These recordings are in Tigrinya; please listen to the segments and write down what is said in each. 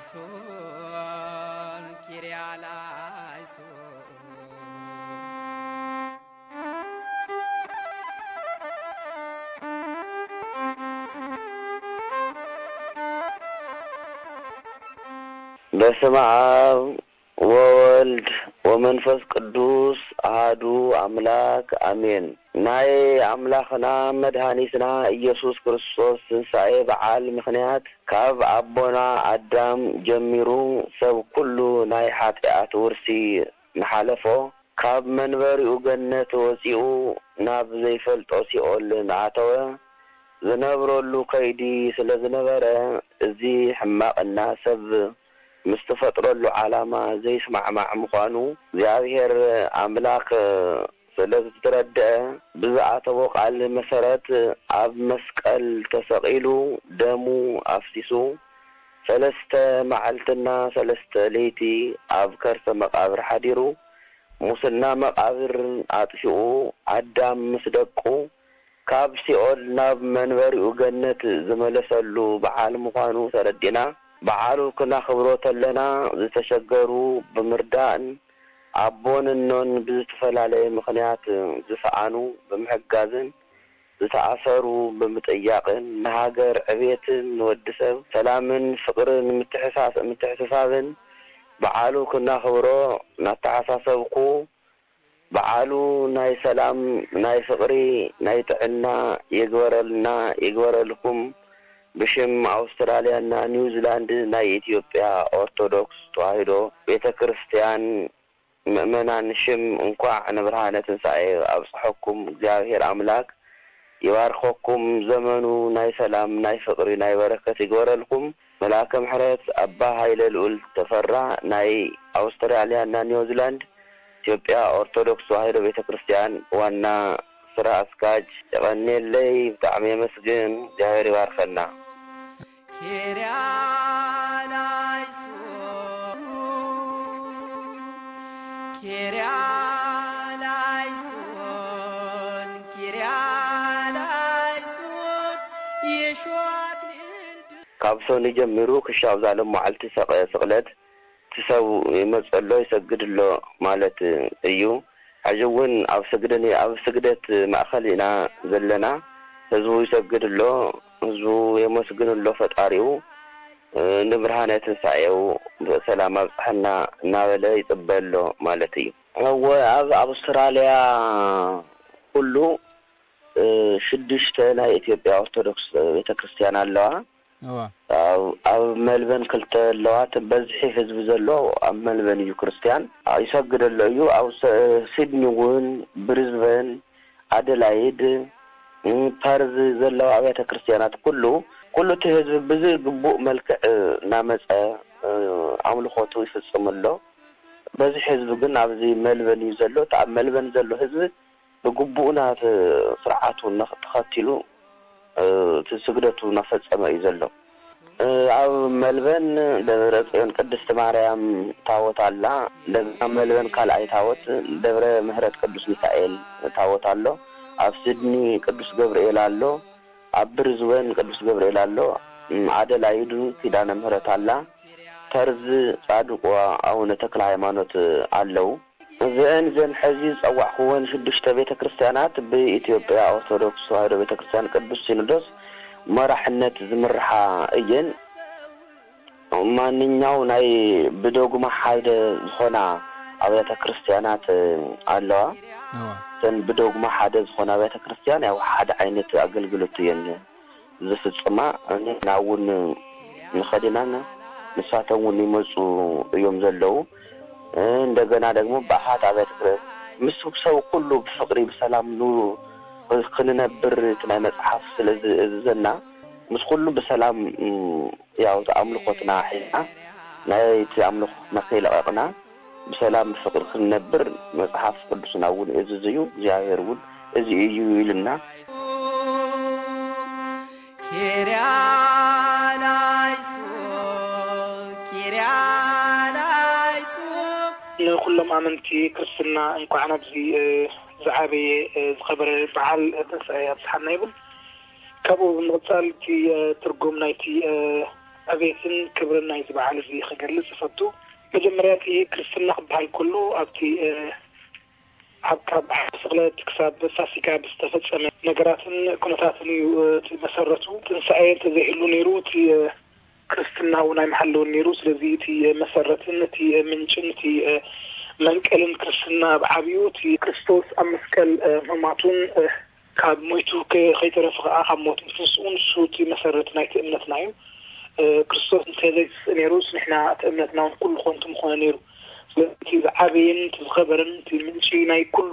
ሶን ኪርያላይሶን። በስመ አብ ወወልድ ወመንፈስ ቅዱስ አሃዱ አምላክ አሜን። ናይ ኣምላኽና መድሃኒትና ኢየሱስ ክርስቶስ ትንሳኤ በዓል ምኽንያት ካብ ኣቦና ኣዳም ጀሚሩ ሰብ ኩሉ ናይ ሓጢኣት ውርሲ ንሓለፎ፣ ካብ መንበሪኡ ገነት ወጺኡ ናብ ዘይፈልጦ ሲኦል ንኣተወ፣ ዝነብረሉ ከይዲ ስለ ዝነበረ፣ እዚ ሕማቕና ሰብ ምስ ትፈጥረሉ ዓላማ ዘይስማዕማዕ ምዃኑ እግዚኣብሔር ኣምላኽ ስለ ዝተረድአ፣ ብዝኣተዎ ቃል መሰረት ኣብ መስቀል ተሰቒሉ ደሙ ኣፍሲሱ ሰለስተ መዓልትና ሰለስተ ለይቲ ኣብ ከርሰ መቓብር ሓዲሩ፣ ሙስና መቓብር ኣጥፊኡ፣ ኣዳም ምስ ደቁ ካብ ሲኦል ናብ መንበሪኡ ገነት ዝመለሰሉ በዓል ምዃኑ ተረዲእና፣ በዓሉ ክናኽብሮ ተለና ዝተሸገሩ ብምርዳእን ኣቦን እኖን ብዝተፈላለየ ምኽንያት ዝሰኣኑ ብምሕጋዝን ዝተኣሰሩ ብምጥያቕን ንሃገር ዕቤትን ንወዲ ሰብ ሰላምን ፍቕርን ምትሕሳስ ምትሕስሳብን በዓሉ ክናኽብሮ እናተሓሳሰብኩ በዓሉ ናይ ሰላም ናይ ፍቕሪ ናይ ጥዕና ይግበረልና ይግበረልኩም ብሽም ኣውስትራልያና ኒውዚላንድ ናይ ኢትዮጵያ ኦርቶዶክስ ተዋህዶ ቤተ ክርስትያን ምእመናን ሽም እንኳዕ ንብርሃነ ትንሳኤ ኣብፀሐኩም እግዚኣብሔር ኣምላክ ይባርከኩም ዘመኑ ናይ ሰላም ናይ ፍቅሪ ናይ በረከት ይግበረልኩም መልኣከ ምሕረት ኣባ ሃይለ ልኡል ተፈራ ናይ ኣውስትራልያ እና ኒውዚላንድ ኢትዮጵያ ኦርቶዶክስ ተዋህዶ ቤተክርስትያን ዋና ስራ ኣስካጅ የቀንየለይ ብጣዕሚ የመስግን እግዚኣብሔር ይባርከና። ኪርያላይሶን ኪርያላይሶን ኪርያላይሶን የሽዋክ ልዕልቱ ካብ ሶኒ ጀሚሩ ክሻብ ዛሎም መዓልቲ ሰቐ ስቕለት እቲ ሰብ ይመፀሎ ይሰግድሎ ማለት እዩ። ሕጂ እውን ኣብ ስግደን ኣብ ስግደት ማእኸል ኢና ዘለና። ህዝቡ ይሰግድ ኣሎ፣ ህዝቡ የመስግን ኣሎ ፈጣሪኡ። ንብርሃነ ትንሳኤው ብሰላም ኣብፅሐና እናበለ ይፅበ ኣሎ ማለት እዩ። እወ ኣብ ኣውስትራልያ ኩሉ ሽዱሽተ ናይ ኢትዮጵያ ኦርቶዶክስ ቤተክርስትያን ኣለዋ። ኣብ ሜልበን ክልተ ኣለዋ። እቲ በዝሒ ህዝቢ ዘሎ ኣብ ሜልበን እዩ ክርስትያን ይሰግድ ኣሎ እዩ። ኣብ ሲድኒ እውን ብሪዝበን ኣደላይድ ፐርዝ ዘለዋ ኣብያተ ክርስትያናት ኩሉ ኩሉ እቲ ህዝቢ ብዝግቡእ መልክዕ እናመፀ ኣምልኾቱ ይፍፅም ኣሎ። በዝሒ ህዝቢ ግን ኣብዚ ሜልበን እዩ ዘሎ። እቲ ኣብ ሜልበን ዘሎ ህዝቢ ብግቡእ ናት ስርዓቱ ተኸቲሉ እቲ ስግደቱ እናፈፀመ እዩ ዘሎ። ኣብ መልበን ደብረ ፅዮን ቅድስቲ ማርያም ታቦት ኣላ። እንደገና መልበን ካልኣይ ታቦት ደብረ ምሕረት ቅዱስ ሚካኤል ታቦት ኣሎ። ኣብ ስድኒ ቅዱስ ገብርኤል ኣሎ። ኣብ ብሪዝበን ቅዱስ ገብርኤል ኣሎ። ኣደላይዱ ኪዳነ ምሕረት ኣላ። ፐርዝ ጻድቁ ኣቡነ ተክለ ሃይማኖት ኣለዉ። እዚአን ዘን ሕዚ ዝጸዋዕክወን ሽዱሽተ ቤተ ክርስቲያናት ብኢትዮጵያ ኦርቶዶክስ ተዋህዶ ቤተ ክርስቲያን ቅዱስ ሲኖዶስ መራሕነት ዝምርሓ እየን። ማንኛው ናይ ብዶግማ ሓደ ዝኾና ኣብያተ ክርስቲያናት ኣለዋ። እተን ብዶግማ ሓደ ዝኾና ኣብያተ ክርስቲያን ያው ሓደ ዓይነት ኣገልግሎት እየን ዝፍጽማ። ንሕና እውን ንኸድ ኢና፣ ንሳቶም እውን ይመፁ እዮም ዘለዉ። እንደገና ደግሞ ብኣሓት ኣብያተ ክርስቲያን ምስ ሰብ ኩሉ ብፍቅሪ ብሰላም ን- ክንነብር እቲ ናይ መፅሓፍ ስለ ዝእዝዘና ምስ ኩሉ ብሰላም ያው ኣምልኾትና ሒዝና ናይቲ ኣምልኾትና ከይለቐቕና ብሰላም ብፍቅሪ ክንነብር መፅሓፍ ቅዱስና እውን እዝዝ እዩ። እግዚኣብሔር እውን እዚ እዩ ኢልና። ኪርያላይሶን ኪርያላይሶን ንኩሎም ኣመንቲ ክርስትና እንኳዕ ናብዚ ዝዓበየ ዝኸበረ በዓል ትንሳኤ ኣብፅሓና ይብል። ካብኡ ብምቕፃል እቲ ትርጉም ናይቲ ዕቤትን ክብርን ናይዚ በዓል እዚ ክገልጽ እፈቱ። መጀመርያ እቲ ክርስትና ክበሃል ከሎ ኣብቲ፣ እ፣ ኣብ ካብ ስቕለት ክሳብ ፋሲካ ብዝተፈጸመ ነገራትን ኩነታትን እዩ፣ እ፣ እቲ መሰረቱ። ትንሳኤ እንተዘይህሉ ነይሩ እቲ፣ እ፣ ክርስትና እውን ኣይምሃለውን ነይሩ። ስለዚ እቲ መሰረትን እቲ ምንጭን እቲ መንቀልን ክርስትና ኣብ ዓብዩ እቲ ክርስቶስ ኣብ መስቀል ምማቱን ካብ ሞይቱ ከይተረፈ ከዓ ካብ ሞት ምትንስኡ ንሱ እቲ መሰረት ናይቲ እምነትና እዩ። ክርስቶስ እንተዘይትስእ ነይሩስ ንሕና እቲ እምነትና እውን ኩሉ ኮንቱ ምኾነ ነይሩ። ስለዚ እቲ ዝዓበየን እቲ ዝኸበረን እቲ ምንጪ ናይ ኩሉ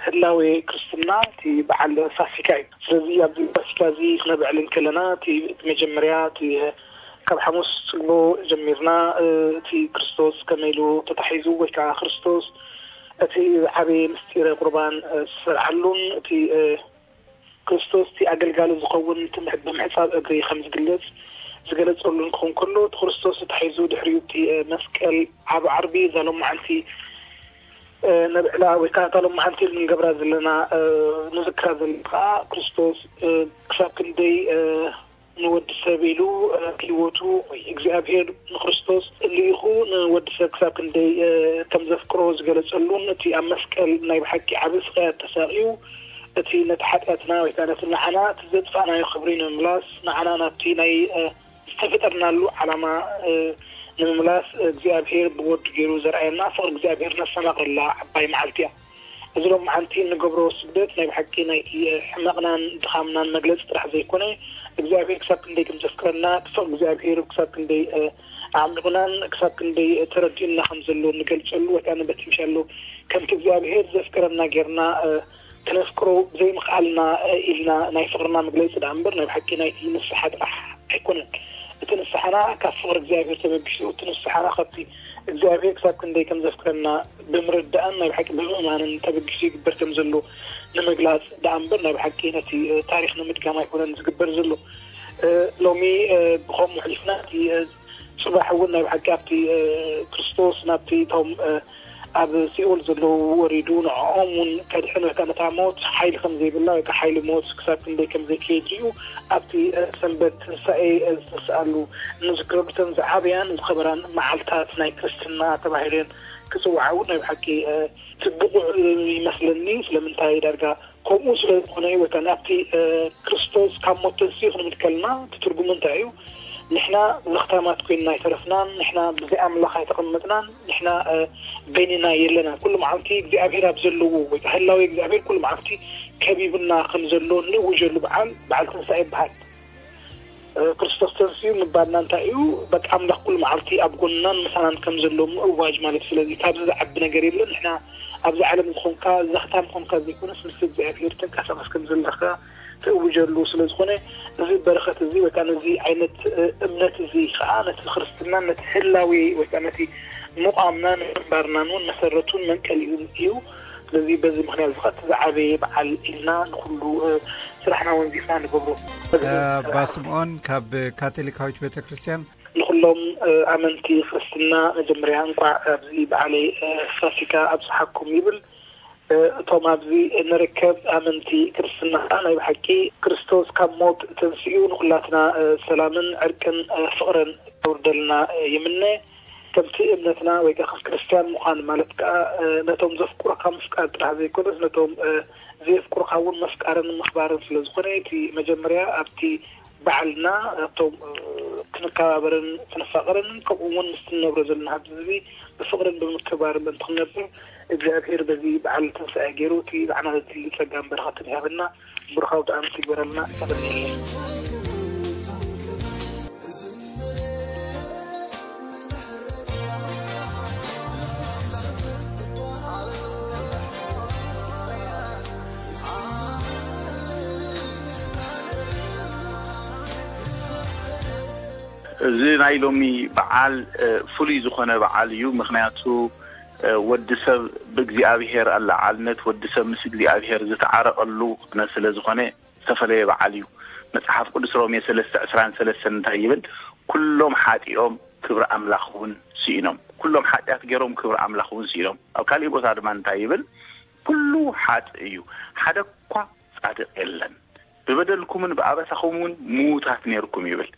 ህላዌ ክርስትና እቲ በዓል ፋሲካ እዩ። ስለዚ ኣብዚ ፋሲካ እዚ ክነብዕል እንከለና እቲ መጀመርያ እቲ ካብ ሓሙስ ጽልቦ ጀሚርና እቲ ክርስቶስ ከመይ ኢሉ ተታሒዙ ወይ ከዓ ክርስቶስ እቲ ዝዓበየ ምስጢረ ቁርባን ዝሰርዓሉን እቲ ክርስቶስ እቲ ኣገልጋሊ ዝኸውን እቲ ምሕ- ብምሕጻብ እግሪ ከም ዝግለጽ ዝገለጸሉን ክኸውን ከሎ እቲ ክርስቶስ ተታሒዙ ድሕሪኡ እቲ መስቀል ዓቢ ዓርቢ እዛ ሎማዓንቲ ነብዕላ ወይ ከዓ እታ ሎማዓንቲ ንገብራ ዘለና ንዝክራ ዘለና ከዓ ክርስቶስ ክሳብ ክንደይ ንወዲ ሰብ ኢሉ ህይወቱ ወይ እግዚኣብሔር ንክርስቶስ ልኢኹ ንወዲ ሰብ ክሳብ ክንደይ ከም ዘፍቅሮ ዝገለጸሉን እቲ ኣብ መስቀል ናይ ብሓቂ ዓቢ ስቃያት ተሳቅዩ እቲ ነቲ ሓጢኣትና ወይ ከዓ ነቲ ንዓና እቲ ዘጥፋእናዮ ክብሪ ንምምላስ ንዓና ናብቲ ናይ ዝተፈጠርናሉ ዓላማ ንምምላስ እግዚኣብሔር ብወዱ ገይሩ ዘርኣየና ፍቅሪ እግዚኣብሔር ነስተማቅረላ ዓባይ መዓልቲ እያ። እዚ ሎማዓንቲ እንገብሮ ስግደት ናይ ብሓቂ ናይቲ ሕመቕናን ድኻምናን መግለፂ ጥራሕ ዘይኮነ እግዚኣብሔር ክሳብ ክንደይ ከም ዘፍቅረና ፍቅሪ እግዚኣብሔር ክሳብ ክንደይ ኣዕሚቑናን ክሳብ ክንደይ ተረዲኡና ከም ዘሎ ንገልፀሉ ወይ ከዓ ንበቲ ምሻሎ ከምቲ እግዚኣብሔር ዘፍቅረና ጌርና ክነፍቅሮ ብዘይምኽኣልና ኢልና ናይ ፍቕርና መግለፂ ደኣ እምበር ናይ ብሓቂ ናይቲ ንስሓ ጥራሕ ኣይኮነን። እቲ ንስሓና ካብ ፍቕሪ እግዚኣብሔር ተበጊሱ እቲ ንስሓና ካብቲ እግዚኣብሔር ክሳብ ክንደይ ከም ዘፍቅረና ብምርዳእን ናይ ብሓቂ ብምእማንን ተበጊሱ ይግበር ከም ዘሎ ንምግላፅ ደኣ እምበር ናይ ብሓቂ ነቲ ታሪክ ንምድጋም ኣይኮነን ዝግበር ዘሎ። ሎሚ ብከምኡ ኣሕሊፍና እቲ ፅባሕ እውን ናይ ብሓቂ ኣብቲ ክርስቶስ ናብቲ እቶም ኣብ ሲኦል ዘለዉ ወሪዱ ንዕኦም እውን ከድሕን ወይ ከዓ ነታ ሞት ሓይሊ ከም ዘይብላ ወይ ከዓ ሓይሊ ሞት ክሳብ ክንደይ ከም ዘይከየድ እዩ ኣብቲ ሰንበት ትንሳኤ ዝተስኣሉ ንዝክረሉ እተን ዝዓበያን ዝኸበራን መዓልታት ናይ ክርስትና ተባሂለን ክፅውዓ እውን ናይ ብሓቂ ብቑዕ ይመስለኒ። ስለምንታይ ዳርጋ ከምኡ ስለ ዝኾነ ወይ ከዓ ናብቲ ክርስቶስ ካብ ሞት ተንስኡ ክንብል ከለና እቲ ትርጉሙ እንታይ እዩ? ንሕና ዘኽታማት ኮይንና ኣይተረፍናን፣ ንሕና ብዘይ ኣምላኽ ኣይተቐመጥናን፣ ንሕና በይንና የለናን። ኩሉ መዓልቲ እግዚኣብሔር ኣብ ዘለዎ ወይ ከዓ ህላዊ እግዚኣብሔር ኩሉ መዓልቲ ከቢብና ከም ዘሎ ንእውጀሉ በዓል በዓል ትንሳኤ ይበሃል። ክርስቶስ ተንስኡ ምባልና እንታይ እዩ? በቃ ኣምላኽ ኩሉ መዓልቲ ኣብ ጎንናን ምሳናን ከም ዘሎ ምእዋጅ ማለት እዩ። ስለዚ ካብዚ ዝዓቢ ነገር የለን። ንሕና ኣብዚ ዓለም ዝኾንካ ዘኽታም ኮንካ ዘይኮነስ ምስ እግዚኣብሔር ተንቀሳቐስ ከም ዘለኻ ትእውጀሉ ስለ ዝኾነ እዚ በረኸት እዚ ወይ ከዓ ነዚ ዓይነት እምነት እዚ ከዓ ነቲ ክርስትናን ነቲ ህላዊ ወይ ከዓ ነቲ ምቋምናን ምንባርናን እውን መሰረቱን መንቀሊኡን እዩ። ስለዚ በዚ ምክንያት እዚ ከዓ እቲ ዝዓበየ በዓል ኢልና ንኩሉ ስራሕና ወንዚፍና ንገብሮ። ኣባ ስምኦን ካብ ካቶሊካዊት ቤተክርስትያን። ንኩሎም ኣመንቲ ክርስትና መጀመርያ እንቋዕ ኣብዚ በዓለይ ፋሲካ ኣብፅሓኩም ይብል። እቶም ኣብዚ ንርከብ ኣመንቲ ክርስትና ከዓ ናይ ብሓቂ ክርስቶስ ካብ ሞት ተንሲኡ ንኩላትና ሰላምን ዕርቅን ፍቕርን የውርደልና ይምነ። ከምቲ እምነትና ወይ ከዓ ከም ክርስትያን ምዃን ማለት ከዓ ነቶም ዘፍቅሩካ ምፍቃር ጥራሕ ዘይኮነስ ነቶም ዘየፍቅሩካ እውን ምፍቃርን ምኽባርን ስለ ዝኾነ እቲ መጀመርያ ኣብቲ በዓልና ኣብቶም ክንከባበርን ክንፋቐርን ከምኡ እውን ምስቲ ንነብሮ ዘለና ህዝቢ ብፍቕርን ብምክብባርን ምእንቲ ክንነብር እግዚኣብሔር በዚ በዓል ትንሳኤ ገይሩ እቲ ዝዓነወ እዚ ጸጋን በረኸትን ይሃበና። ብሩኻዊ ደኣ ምስ ይግበረልና። ተቐኒለይ። እዚ ናይ ሎሚ በዓል ፍሉይ ዝኾነ በዓል እዩ። ምኽንያቱ ወዲ ሰብ ብእግዚኣብሔር ኣለዓልነት ወዲ ሰብ ምስ እግዚኣብሔር ዝተዓረቐሉ ስለ ዝኾነ ዝተፈለየ በዓል እዩ። መጽሓፍ ቅዱስ ሮሜ ሰለስተ ዕስራን ሰለስተን እንታይ ይብል? ኩሎም ሓጢኦም ክብሪ ኣምላኽ እውን ስኢኖም። ኩሎም ሓጢኣት ገይሮም ክብሪ ኣምላኽ እውን ስኢኖም። ኣብ ካሊእ ቦታ ድማ እንታይ ይብል? ኩሉ ሓጥእ እዩ፣ ሓደ እኳ ጻድቕ የለን። ብበደልኩምን ብኣበሳኹምን ምዉታት ነይርኩም ይብል።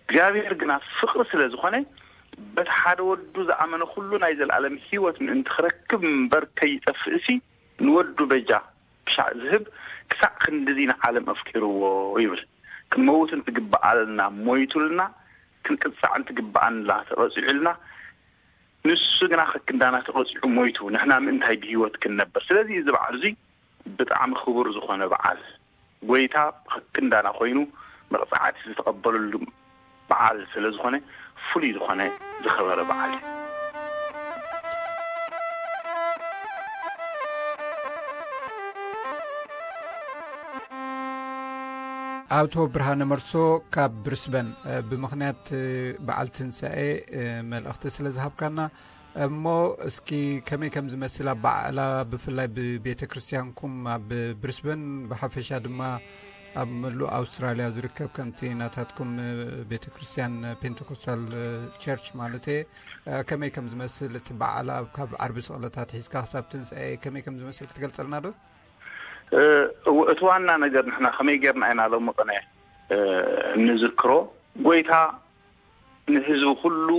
እግዚኣብሔር ግና ፍቕሪ ስለ ዝኾነ፣ በቲ ሓደ ወዱ ዝኣመነ ኩሉ ናይ ዘለኣለም ህይወት ምእንቲ ክረክብ እምበር ከይጠፍእሲ፣ ንወዱ በጃ ክሻዕ ዝህብ ክሳዕ ክንድዚ ንዓለም ኣፍቂርዎ ይብል። ክንመውት እንትግብኣልና ሞይቱልና፣ ክንቅጻዕ እንትግብኣና ተቐጺዑልና፣ ንሱ ግና ከክንዳና ተቐጺዑ ሞይቱ፣ ንሕና ምእንታይ ብህይወት ክንነብር? ስለዚ እዚ በዓል እዚ ብጣዕሚ ክቡር ዝኾነ በዓል፣ ጎይታ ከክንዳና ኮይኑ መቕጻዕቲ ዝተቐበለሉ በዓል ስለ ዝኾነ፣ ፍሉይ ዝኾነ ዝኸበረ በዓል እዩ። ኣቶ ብርሃነ መርሶ ካብ ብሪስበን፣ እ፣ ብምኽንያት፣ እ፣ በዓል ትንሳኤ፣ እ፣ መልእኽቲ ስለ ዝሃብካና፣ እሞ እስኪ ከመይ ከም ዝመስል ኣበዓዕላ፣ ብፍላይ ብቤተ ክርስቲያንኩም ኣብ ብሪስበን፣ ብሓፈሻ ድማ ኣብ ምሉእ ኣውስትራልያ ዝርከብ፣ ከምቲ ናታትኩም፣ እ፣ ቤተ ክርስቲያን ፔንቴኮስታል፣ እ፣ ቸርች ማለት እየ፣ እ፣ ከመይ ከም ዝመስል እቲ በዓላ ካብ ዓርቢ ስቕለታት ሒዝካ ክሳብ ትንሳኤ ከመይ ከም ዝመስል ክትገልጸልና ዶ? እ፣ እው፣ እቲ ዋና ነገር ንሕና ከመይ ጌርና ኢና ሎሚ ቅነ፣ እ፣ እንዝክሮ? ጎይታ ንህዝቢ ኩሉ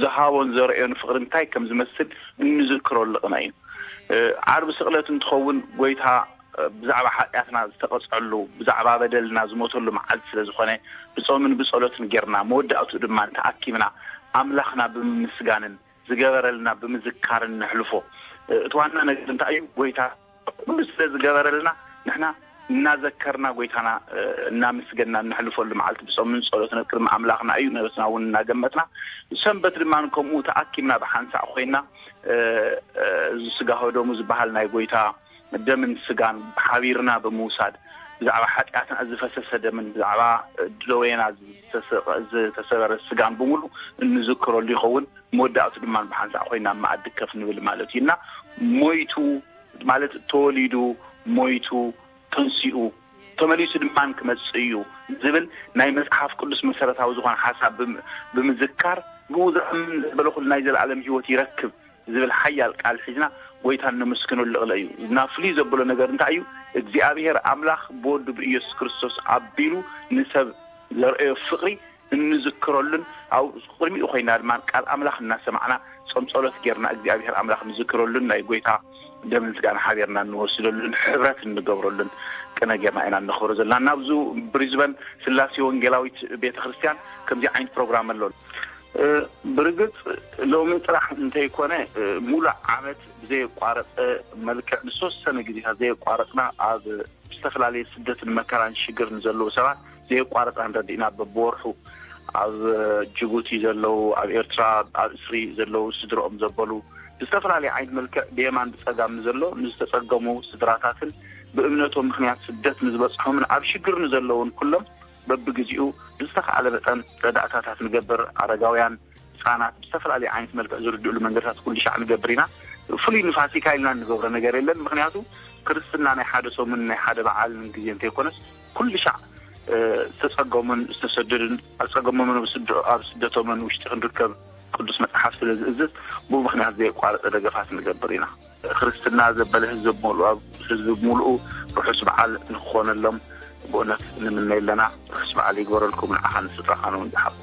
ዝሃቦን ዘርእዮን ፍቕሪ እንታይ ከም ዝመስል እንዝክረሉ ቅነ እዩ። እ፣ ዓርቢ ስቕለት እንትኸውን፣ ጎይታ፣ እ፣ ብዛዕባ ሓጢኣትና ዝተቐጽዐሉ፣ ብዛዕባ በደልና ዝሞተሉ መዓልቲ ስለ ዝኾነ፣ ብጾምን ብጸሎትን ጌርና፣ መወዳእቱ ድማ እንተኣኪብና፣ ኣምላኽና ብምምስጋንን ዝገበረልና ብምዝካርን ነሕልፎ። እ፣ እቲ ዋና ነገር እንታይ እዩ? ጎይታ ኩሉ ስለ ዝገበረልና፣ ንሕና እናዘከርና፣ ጎይታና፣ እ፣ እናመስገንና እነሕልፈሉ መዓልቲ ብጾምን ጸሎትን ኣብ ቅድሚ ኣምላኽና እዩ። ነበስና እውን እናገመትና፣ ሰንበት ድማ ከምኡ ተኣኪብና ብሓንሳእ ኮይና፣ እ፣ እ፣ እዚ ስጋ ወደሙ ዝበሃል ናይ ጎይታ ደምን ስጋን ሓቢርና ብምውሳድ፣ ብዛዕባ ሓጢኣትና ዝፈሰሰ ደምን ብዛዕባ ደዌና ዝተሰ-፣ ዝተሰበረ ስጋን ብምሉእ እንዝክረሉ ይኸውን። መወዳእቱ ድማ ብሓንሳእ ኮይና ኣብ መኣዲ ከፍ ንብል ማለት እዩ። እና ሞይቱ ማለት ተወሊዱ፣ ሞይቱ፣ ተንሲኡ፣ ተመሊሱ ድማ ክመጽእ እዩ ዝብል ናይ መጽሓፍ ቅዱስ መሰረታዊ ዝኾነ ሓሳብ ብም-፣ ብምዝካር፣ ብኡ ዝኣምን ዘበለ ኩሉ ናይ ዘለኣለም ህይወት ይረክብ ዝብል ሓያል ቃል ሒዝና ጎይታ እነመስግነሉ ቅለ እዩ። እና ፍልይ ዘብሎ ነገር እንታይ እዩ? እግዚኣብሔር ኣምላኽ ብወዱ ብኢየሱስ ክርስቶስ ኣቢሉ ንሰብ ዘርእዮ ፍቕሪ እንዝክረሉን፣ ኣብ ቅድሚኡ ኮይና ድማ ቃል ኣምላኽ እናሰማዕና ጾም ጸሎት ጌርና እግዚኣብሔር ኣምላኽ ንዝክረሉን ናይ ጎይታ ደምን ስጋን ሓቢርና እንወስደሉን ሕብረት እንገብረሉን ቅነ ጌርና ኢና እነኽብሮ ዘለና። ናብዙ ብሪዝበን ስላሴ ወንጌላዊት ቤተ ክርስቲያን ከምዚ ዓይነት ፕሮግራም ኣሎ። እ፣ ብርግጽ ሎሚ ጥራሕ እንተይኮነ፣ እ፣ ሙሉእ ዓመት ብዘየቋረጸ መልክዕ ንዝተወሰነ ግዜታት ዘየቋረጽና ኣብ ዝተፈላለየ ስደትን መከራን ሽግርን ዘለዉ ሰባት ዘየቋረጽና ንረድእና። በብወርሑ ኣብ ጅቡቲ ዘለዉ፣ ኣብ ኤርትራ ኣብ እስሪ ዘለዉ፣ ስድረኦም ዘበሉ፣ ብዝተፈላለየ ዓይነት መልክዕ ብየማን ብጸጋም ንዘሎ ንዝተጸገሙ ስድራታትን ብእምነቶም ምኽንያት ስደት ንዝበጽሖምን ኣብ ሽግር ንዘለዉን ኩሎም በብግዜኡ ብዝተኻእለ መጠን ረዳእታታት ንገብር። ኣረጋውያን፣ ህጻናት ብዝተፈላለየ ዓይነት መልክዕ ዝርድእሉ መንገድታት ኩሉ ሻዕ ንገብር ኢና። ፍሉይ ንፋሲካ ኢልና እንገብሮ ነገር የለን። ምኽንያቱ ክርስትና ናይ ሓደ ሰሙን ናይ ሓደ በዓልን ግዜ እንተይኮነስ ኩሉ ሻዕ፣ እ፣ ዝተጸገሙን ዝተሰደዱን ኣብ ጸገሞምን ኣብ ስደ-፣ ኣብ ስደቶምን ውሽጢ ክንርከብ ቅዱስ መጽሓፍ ስለ ዝእዝዝ ብኡ ምኽንያት ዘየቋረጸ ደገፋት ንገብር ኢና። ክርስትና ዘበለ ህዝቢ ብምሉኡ፣ ህዝቢ ብምሉኡ ርሑስ በዓል ንክኾነሎም ብእውነት ንምነ ኣለና። ርሑስ በዓል ይግበረልኩም፣ ንዓኻን ንስድራኻን እውን ዝሓብ።